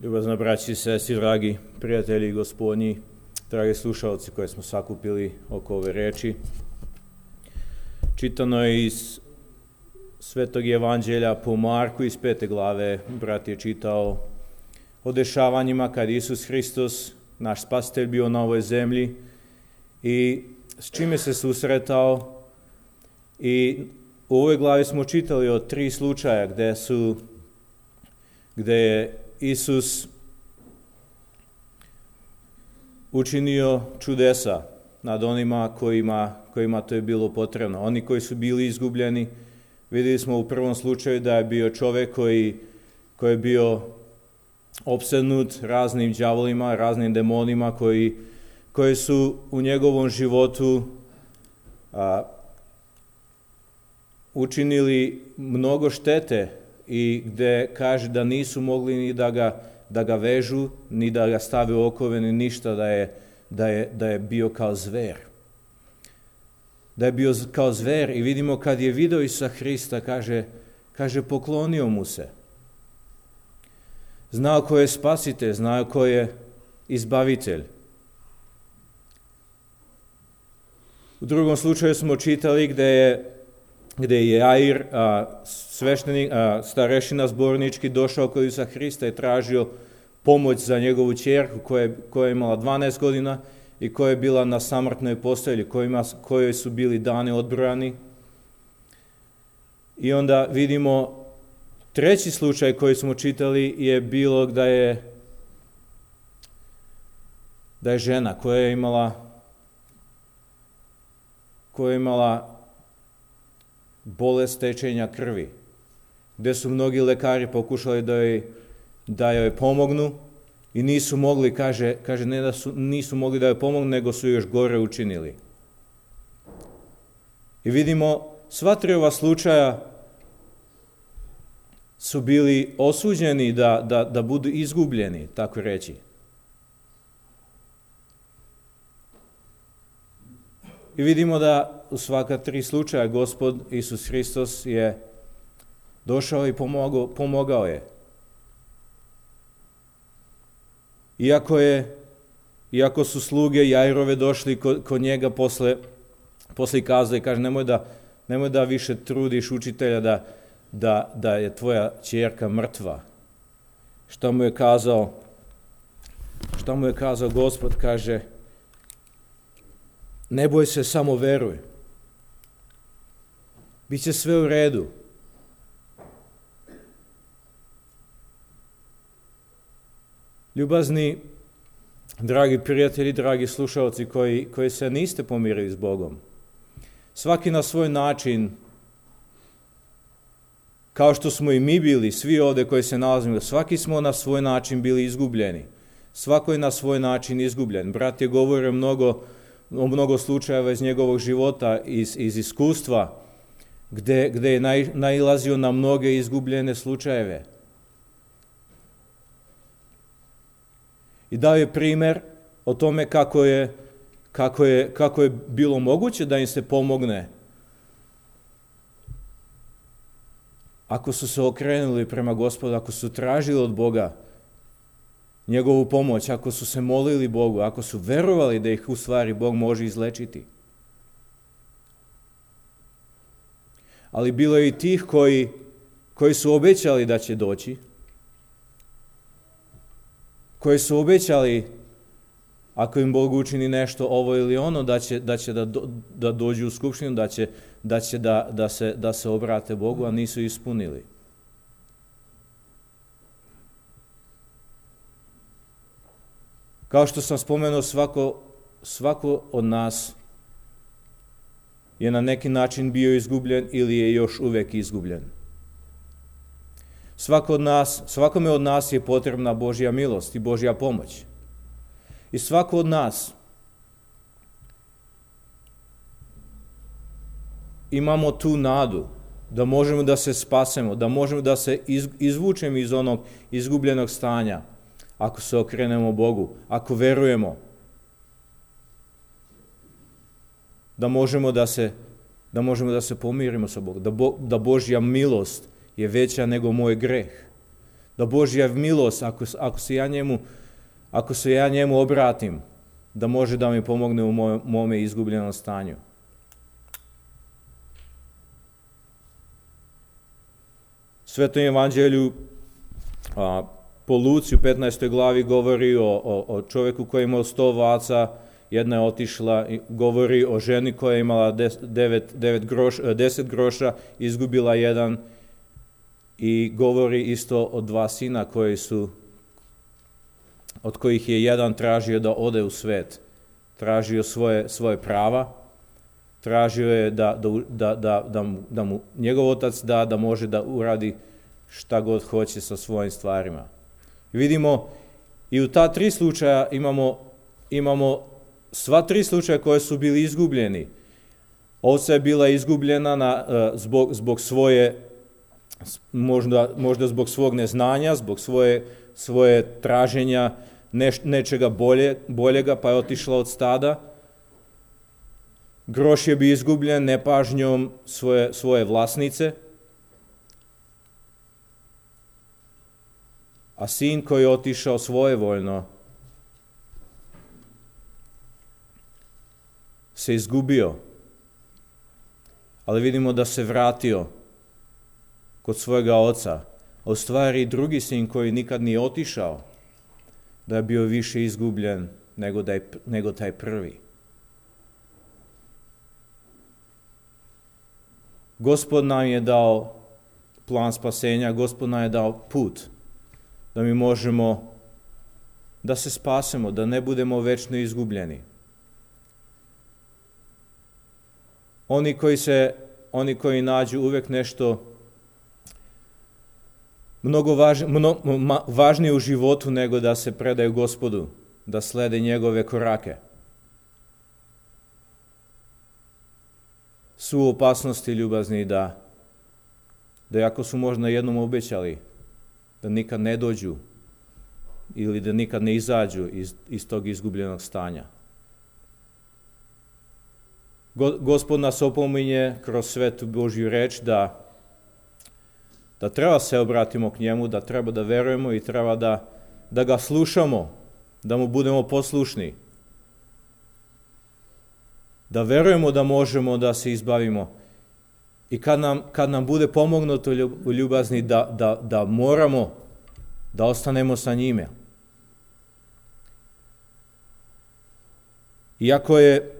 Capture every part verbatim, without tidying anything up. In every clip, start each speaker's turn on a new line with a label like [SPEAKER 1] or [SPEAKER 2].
[SPEAKER 1] Ljubazna braći i sestri, dragi prijatelji gospodnji, dragi slušalci koje smo sakupili oko ove reči. Čitano je iz Svetog evanđelja po Marku iz pete glave. Brat je čitao o dešavanjima kad Isus Hristos, naš spasitelj, bio na ovoj zemlji i s čime se susretao. I u ovoj glavi smo čitali o tri slučaja gde su, gde je Isus učinio čudesa nad onima kojima, kojima to je bilo potrebno. Oni koji su bili izgubljeni, vidjeli smo u prvom slučaju da je bio čovjek koji, koji je bio opsednut raznim đavolima, raznim demonima koji, koji su u njegovom životu a, učinili mnogo štete i gde kaže da nisu mogli ni da ga, da ga vežu, ni da ga stave u okove, ni ništa, da je, da je, da je bio kao zver. Da je bio kao zver i vidimo kad je video Isusa Hrista, kaže, kaže poklonio mu se. Znao ko je spasitelj, znao ko je izbavitelj. U drugom slučaju smo čitali gde je gde je Jair, a, sveštenik, a, starešina zbornički, došao kod Isusa Hrista i tražio pomoć za njegovu ćerku koja, koja je imala dvanaest godina i koja je bila na samrtnoj postelji, kojima, kojoj su bili dani odbrojani. I onda vidimo treći slučaj koji smo čitali je bilo da je, da je žena koja je imala koja je imala bolest tečenja krvi, gde su mnogi lekari pokušali da joj, da joj pomognu i nisu mogli, kaže, kaže ne da su, nisu mogli da joj pomognu, nego su još gore učinili. I vidimo, sva tri ova slučaja su bili osuđeni da, da, da budu izgubljeni, tako reći. I vidimo da u svaka tri slučaja Gospod Isus Hristos je došao i pomogao, pomogao je. Iako je, iako su sluge Jairove došli kod, kod njega posle, posle kazali, kaže nemoj da, nemoj da više trudiš učitelja da, da, da je tvoja ćerka mrtva. Šta mu je kazao? Šta mu je kazao Gospod? Kaže, ne boj se, samo veruj. Biće sve u redu. Ljubazni, dragi prijatelji, dragi slušalci koji, koji se niste pomirili s Bogom, svaki na svoj način, kao što smo i mi bili, svi ovdje koji se nalazimo, svaki smo na svoj način bili izgubljeni. Svako je na svoj način izgubljen. Brat je govorio mnogo o mnogo slučajeva iz njegovog života, iz, iz iskustva, gde, gde je naj, nailazio na mnoge izgubljene slučajeve. I dao je primer o tome kako je, kako je, kako je bilo moguće da im se pomogne ako su se okrenuli prema Gospodu, ako su tražili od Boga njegovu pomoć, ako su se molili Bogu, ako su verovali da ih u stvari Bog može izlečiti. Ali bilo je i tih koji, koji su obećali da će doći, koji su obećali ako im Bog učini nešto ovo ili ono, da će da, će da, do, da dođu u skupštinu, da će, da, će da, da, se, da se obrate Bogu, a nisu ispunili. Kao što sam spomenuo, svako, svako od nas je na neki način bio izgubljen ili je još uvek izgubljen. Svako od nas, svakome od nas je potrebna Božja milost i Božja pomoć. I svako od nas imamo tu nadu da možemo da se spasemo, da možemo da se izvučemo iz onog izgubljenog stanja, ako se okrenemo Bogu, ako verujemo da možemo da se, da možemo da se pomirimo sa Bogom, da, Bo, da Božja milost je veća nego moj greh, Da Božja milost, ako, ako, se ja njemu, ako se ja njemu obratim, da može da mi pomogne u moj, mome izgubljenom stanju. Svetom evanđelju a, po Luci u petnaestoj glavi govori o, o, o čovjeku koji je imao sto ovaca, jedna je otišla, govori o ženi koja je imala des, devet, devet groš, deset groša, izgubila jedan, i govori isto o dva sina koji su, od kojih je jedan tražio da ode u svet, tražio svoje, svoje prava, tražio je da, da, da, da, mu, da mu njegov otac da, da može da uradi šta god hoće sa svojim stvarima. I vidimo, i u ta tri slučaja imamo, imamo sva tri slučaja koje su bili izgubljeni. Ovca je bila izgubljena na, zbog, zbog svoje, možda, možda zbog svog neznanja, zbog svoje, svoje traženja neš, nečega bolje, boljega, pa je otišla od stada. Groš je bio izgubljen nepažnjom svoje, svoje vlasnice. A sin koji je otišao svojevoljno se izgubio, ali vidimo da se vratio kod svojega oca. A u stvari drugi sin koji nikad nije otišao, da je bio više izgubljen nego, da je, nego taj prvi. Gospod nam je dao plan spasenja, Gospod nam je dao put da mi možemo da se spasemo, da ne budemo večno izgubljeni. Oni koji se, oni koji nađu uvijek nešto mnogo važ, mno, ma, važnije u životu nego da se predaju Gospodu, da slede njegove korake, su u opasnosti ljubazni da, da ako su možda jednom obećali, da nikad ne dođu ili da nikad ne izađu iz, iz tog izgubljenog stanja. Go, Gospod nas opominje kroz svetu Božju reč da, da treba se obratimo k njemu, da treba da verujemo i treba da, da ga slušamo, da mu budemo poslušni. Da verujemo da možemo da se izbavimo. I kad nam, kad nam bude pomognuto u ljubazni da, da, da moramo da ostanemo sa njime. Iako je,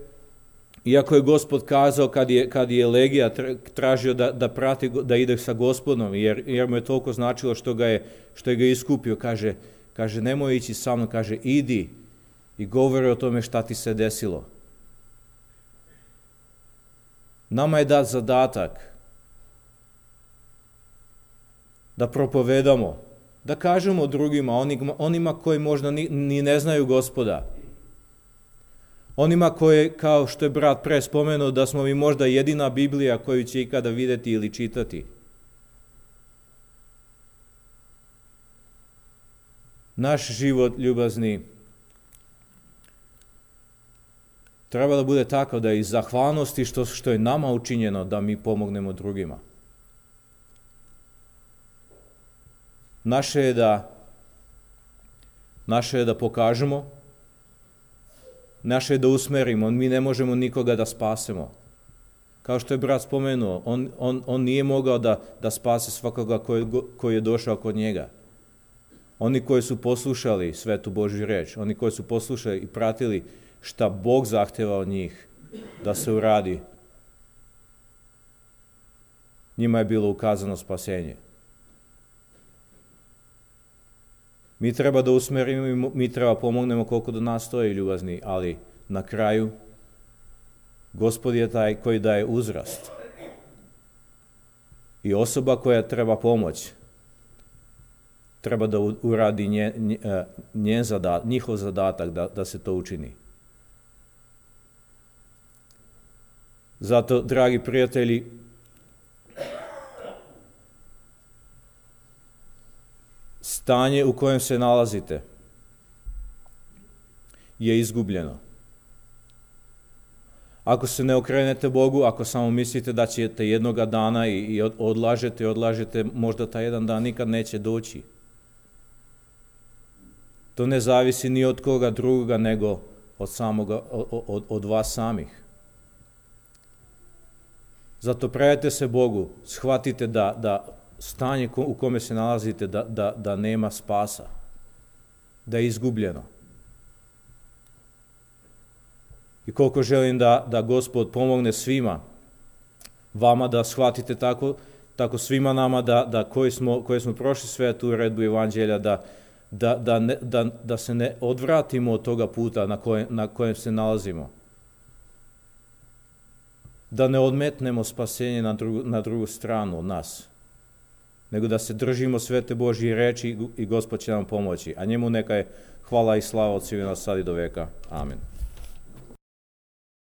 [SPEAKER 1] iako je Gospod kazao kad je, kad je Legija tražio da, da prati, da ide sa Gospodom, jer, jer mu je toliko značilo što ga je, što je ga iskupio, kaže, kaže nemoj ići sa mnom, kaže idi i govori o tome šta ti se desilo. Nama je dat zadatak da propovedamo, da kažemo drugima, onima, onima koji možda ni, ni ne znaju Gospoda. Onima koji, kao što je brat pre spomenuo, da smo mi možda jedina Biblija koju će ikada vidjeti ili čitati. Naš život ljubazni treba da bude takav da iz zahvalnosti što, što je nama učinjeno da mi pomognemo drugima. Naše je da, naše je da pokažemo, naše je da usmerimo, mi ne možemo nikoga da spasemo. Kao što je brat spomenuo, on, on, on nije mogao da, da spase svakoga koji, koji je došao kod njega. Oni koji su poslušali svetu Božju reč, oni koji su poslušali i pratili šta Bog zahteva od njih da se uradi, njima je bilo ukazano spasenje. Mi treba da usmerimo, mi treba pomognemo koliko do nas stoji ljubazni, ali na kraju Gospod je taj koji daje uzrast. I osoba koja treba pomoć treba da uradi njen, njen zadat, njihov zadatak da, da se to učini. Zato, dragi prijatelji, stanje u kojem se nalazite je izgubljeno. Ako se ne okrenete Bogu, ako samo mislite da ćete jednoga dana i, i odlažete, odlažete, možda taj jedan dan nikad neće doći. To ne zavisi ni od koga druga, nego od, samoga, od, od vas samih. Zato predajte se Bogu, shvatite da, da stanje u kome se nalazite, da, da, da nema spasa, da je izgubljeno. I koliko želim da, da Gospod pomogne svima, vama da shvatite tako, tako svima nama da, da koji, smo, koji smo prošli sve tu uredbu Evanđelja, da, da, da, ne, da, da se ne odvratimo od toga puta na kojem, na kojem se nalazimo. Da ne odmetnemo spasenje na drugu, na drugu stranu od nas, nego da se držimo svete Božje reči i Gospod će nam pomoći. A njemu neka je hvala i slava od svih nas sad i do veka. Amen.